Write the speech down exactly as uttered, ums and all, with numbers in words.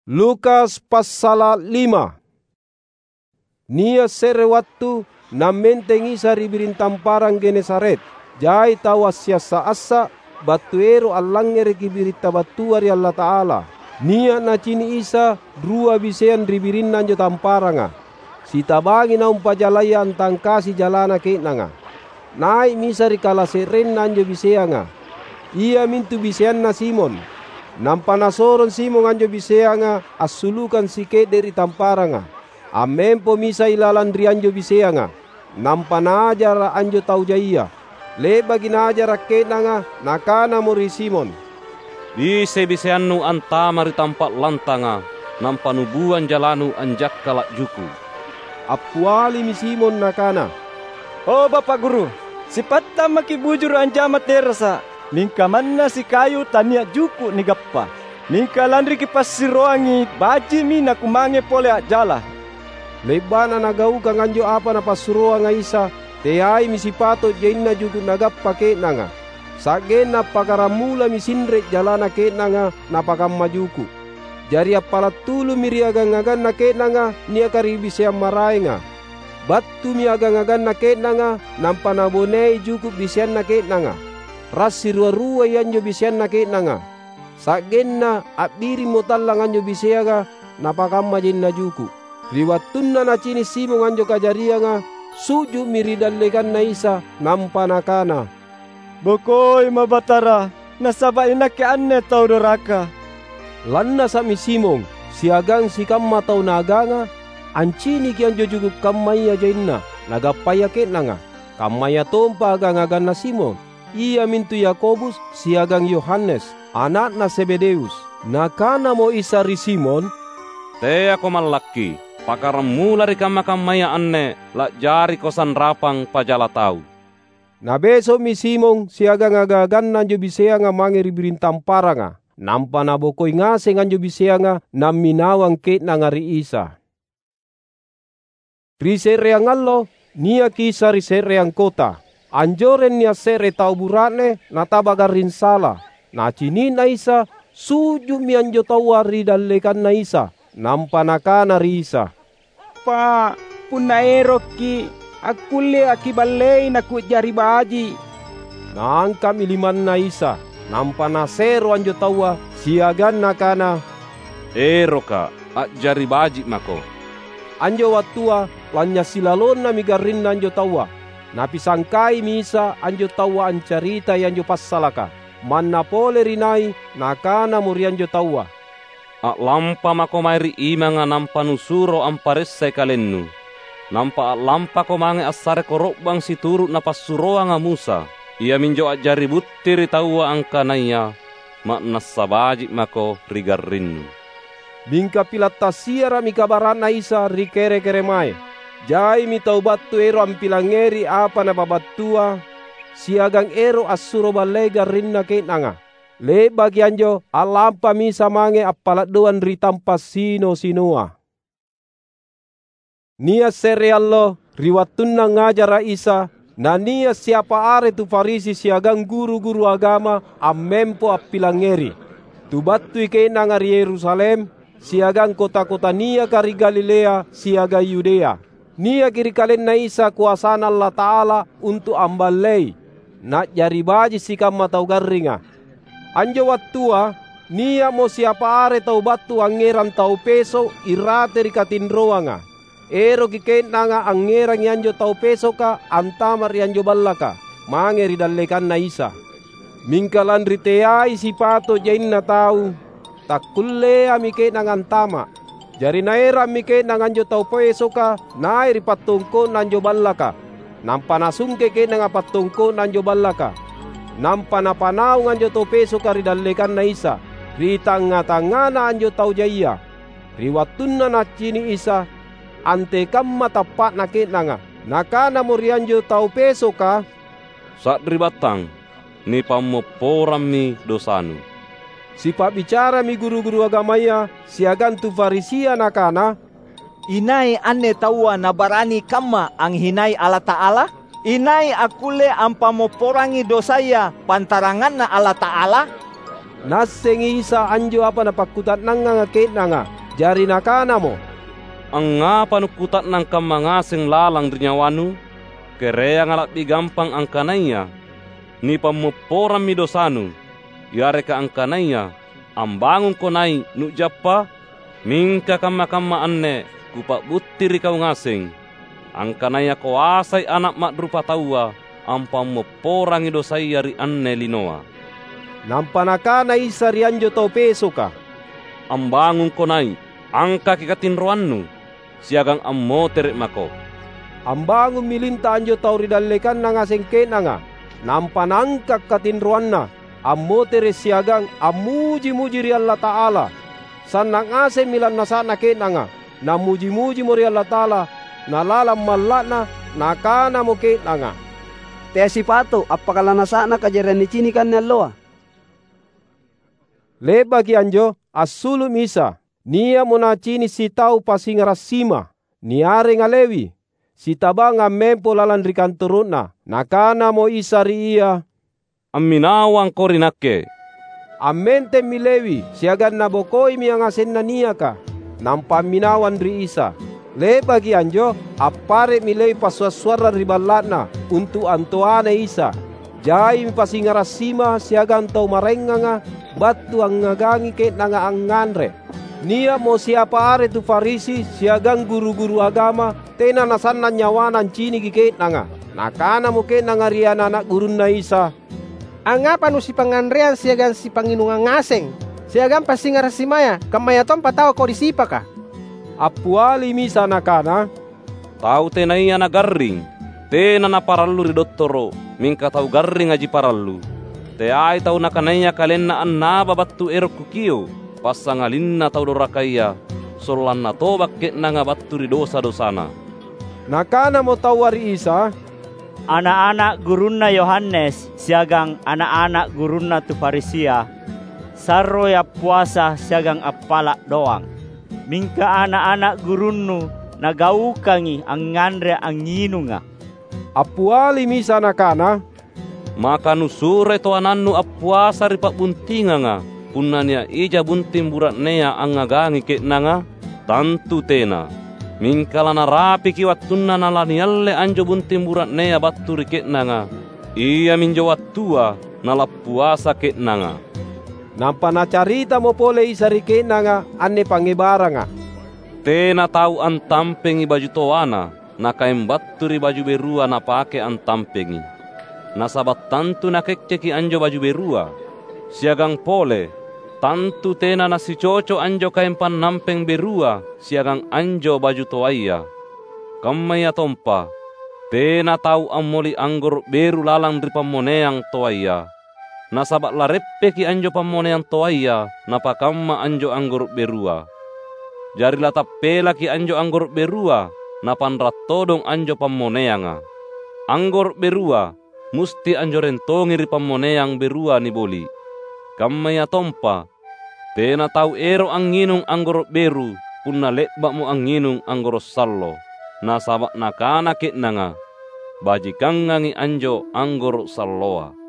Lukas passala’ lima. Nia’ se're wattu nammenteng Isa ri biring tamparang Genesaret. Jai tau assiassa’-assa’ battu ero’ allangngereki biritta battua ri Allata'ala. Nia’ nacini’ Isa rua biseang ri birinna anjo tamparanga. Sitabangi naumpa jalaya antangkasi jalana ke'nanga. Nai'mi Isa ri kalase'renna anjo biseanga, iamintu biseanna Simon. Nampa Nasorong Simon anjo biseanga assulukang sike'de’ ri tamparanga. Ammempomi Isa ilalang ri anjo biseanga, nampa Naajara’ anjo tau jaia. Le'baki Naajara’ ke'nanga, Nakanamo ri Simon, "Bisei biseannu antama’ ri tampa’ lantanga, nampa nubuang jalanu anjakkala’ juku’." Appialimi Simon nakana, "O Bapa’ Guru, sipattang maki’ bujuru’ anjama terasa’, mingka manna sikayu tania’ juku’ nigappa. Mingka lanri kipassiroangi, baji'mi nakumange pole a'jala." Le'ba'na nagaukang anjo apa Napassuroanga Isa, teaimi sipato’ jaina juku’ nagappa ke'nanga. Sa'genna appakkaramulami sinre’ jalana ke'nanga napakamma juku’. Jari appala’ tulummi ri agang-aganna ke'nanga niaka ri biseang maraenga. Battumi agang-aganna ke'nanga nampa nabonei juku’ biseanna ke'nanga. Rassi rua-ruai anjo biseanna ke'nanga. Sa'genna a'birimmo tallang anjo biseanga napakamma jaina juku’. Ri wattunna nacini’ Simon anjo kajarianga, su'ju'mi ri dallekanNa Isa, nampa nakana, "Bokoima Batara, nasaba’ inakke anne tau doraka." Lannasa'mi Simon siagang sikamma tau naaganga anciniki anjo juku’ kammaya jaina nagappaya ke'nanga, kammayatompa agang-aganna Simon. Iamintu Yakobus siagang Yohanes, ana'na Zebedeus. Nakanamo Isa ri Simon, "Teako mallakki. Pakkaramula ri kamma-kammaya anne la'jariko sanrapang pajala tau." Nabeso'mi Simon siagang agang-aganna anjo biseanga mange ri biring tamparanga, nampa nabokoi ngaseng anjo biseanga namminawang ke'nanga ri Isa. Ri se'reang allo, niaki Isa ri se'reang kota. Anjoreng nia’ se're tau bura'ne nataba garring sala. Nacini'na Isa, su'ju'mi anjo taua ri dallekanNa Isa, nampa nakana ri Isa, "Pa’, punna erokki’, akkullea’ Kiballei naku'jari baji’." Naangka'mi limanNa Isa, nampa Nasero anjo taua, siagang Nakana, "ErokKa’, a'jari baji’ mako." Anjo wattua lanynya’ silalonnami garrinna anjo taua. Napisangkaimi Isa anjo taua ancaritai anjo passalaka. Manna pole ri nai, Nakanamo ri anjo taua, "A'lampa mako mae ri imanga nampa nusuro amparessai kalennu. Nampa a'lampako mange assare koro'bang situru’ napassuroanga Musa, iaminjo a'jari butti ri taua angkanaya ma'nassa baji’ mako ri garrinnu." Mingka pila’ tassiara'mi kabara'Na Isa ri kere-keremae. Jaimi tau battu ero’ ampilangngeri apa Napabattua, siagang ero’ assuro ballei garrinna ke'nanga. Le'baki anjo, a'lampami Isa mange appala’ doang ri tampa’ sino-sinoa. Nia’ se're allo, ri wattunna angngajara’ Isa, nania’ siapa are tu Farisi siagang guru-guru agama ammempo appilangngeri. Tu battui ke'nanga ri Yerusalem, siagang kota-kota niaka ri Galilea siagang Yudea. Niaki ri KalenNa Isa koasaNa Allata'ala untu’ amballei, na'jari baji’ sikamma tau garringa. Anjo wattua, nia'mo siapa are tau battu angngerang tau peso’ irate ri katinroanga. Eroki ke'nanga angngerangi anjo tau pesoka antama’ ri anjo ballaka, mange ri dallekanNa Isa. Mingka lanri teai sipato’ jaina tau, takkulleami ke'nanga antama’. Jari naerammi ke'nanga anjo tau pesoka nai’ ri pattongko'na anjo ballaka. Nampa nasungke ke'nanga pattongko'na anjo ballaka. Nampa napanaung anjo tau pesoka ri dallekanNa Isa, ri tangnga-tangngana anjo tau jaia. Ri wattunna Nacini’ Isa, antekamma tappa'na ke'nanga, Nakanamo ri anjo tau pesoka, "Sari'battang, nipammopporammi dosanu." Sipa'bicarami guru-guru agamaya siagang tu Farisia nakana, "Inai anne taua nabarani kamma anghinai Allata'ala? Inai akkulle ampammopporangi dosaya pantaranganNa Allata'ala?" Naassengi Isa anjo apa napakkuta'nangnganga ke'nanga, jari Nakanamo, "Angngapa nukkuta'nang kamma ngaseng lalang ri nyawanu? Kereanga la'bi gampang angkanaya, 'Nipammopporammi dosanu,' yareka angkanaya, 'Ambangungko nai', nu'jappa'?' Mingka kamma-kamma anne Kupa'butti ri kau ngaseng, angkanaya koasai Ana’ Ma'rupataua ampammopporangi dosaya ri anne linoa." Nampa Nakana Isa ri anjo tau pesoka, "Ambangungko nai’, angkaki katinroannu, siagang ammotere’ mako." Ambangummi linta anjo tau ri dallekanna ngaseng ke'nanga, nampa naangka’ katinroanna, ammotere’ siagang ammuji-muji ri Allata'ala. Sanna’ ngasemmi lannasa'na ke'nanga, nammuji-mujimo ri Allata'ala, na lalang malla'na, nakanamo ke'nanga, "Teai sipato’ appaka lannasa'na kajariang nicinika anne alloa." Le'baki anjo, assulu'mi Isa. Nia'mo Nacini’ sitau pasingara’ sima, niarenga Lewi, sitabang ammempo lalang ri kantoro'na. Nakanamo Isa ri ia, "Amminawangko ri Nakke." Ammentemmi Lewi siagang nabokoimi angasenna niaka, nampa amminawang ri Isa. Le'baki anjo, appare'mi Lewi passua’-suarrang ri balla'na untu’ antoanai Isa. Jaimi pasingara’ sima siagang tau maraenganga battu angngagangi ke'nanga angnganre. Nia'mo siapa are tu Farisi siagang guru-guru agama tena nasannang nyawana anciniki ke'nanga. Nakanamo ke'nanga ri ana’-ana’ gurunNa Isa, "Angngapa nusipangnganreang siagang sipangnginungang ngaseng, siagang passingara’ simaya, kammayatompa tau kodi sipaka?" Appialimi Isa Nakana, "Tau tenaya nagarring, tena naparallu ri dottoro’, mingka tau garringaji parallu. Teai tau nakanaya kalenna annaba battu ero’ Kukio’, passangalinna tau dorakaya, sollanna toba’ ke'nanga battu ri dosa-dosana." Nakanamo taua ri Isa, "Ana’-ana’ gurunna Yohanes siagang ana’-ana’ gurunna tu Farisia, sarroi appuasa siagang appala’ doang. Mingka ana’-ana’ gurunnu nagaukangi angnganre angnginunga." Appialimi Isa Nakana, "Maka nusuroi toanannu appuasa ri pa'buntinganga, punna nia’ ija bunting bura'nea angngagangi ke'nanga? Tantu tena! Mingka lanarapiki wattunna nalanialle anjo bunting bura'nea battu ri ke'nanga, iaminjo wattua nalappuasa ke'nanga." Nampa Nacaritamo pole Isa ri ke'nanga anne pangngebaranga, "Tena tau antampengi baju toana, nakaeng battu ri baju berua napake antampengi. Nasaba’ tantu nakekkeki anjo baju berua. Siagang pole, tantu tena nasicoco anjo kaeng pannampeng berua siagang anjo baju toaya. Kammayatompa, tena tau ammoli anggoro’ beru lalang ri pammoneang toaya. Nasaba’ lareppeki anjo pammoneang toaya napakamma anjo anggoro’ berua. Jari latappelaki anjo anggoro’ berua, napanra’ todong anjo pammoneanga. Anggoro’ berua musti anjoreng tongi ri pammoneang berua niboli’. Kammayatompa, tena tau ero’ angnginung anggoro’ beru punna le'ba'mo angnginung anggoro’ sallo. Nasaba’ nakana ke'nanga, 'Bajikangangi anjo anggoro’ salloa.'"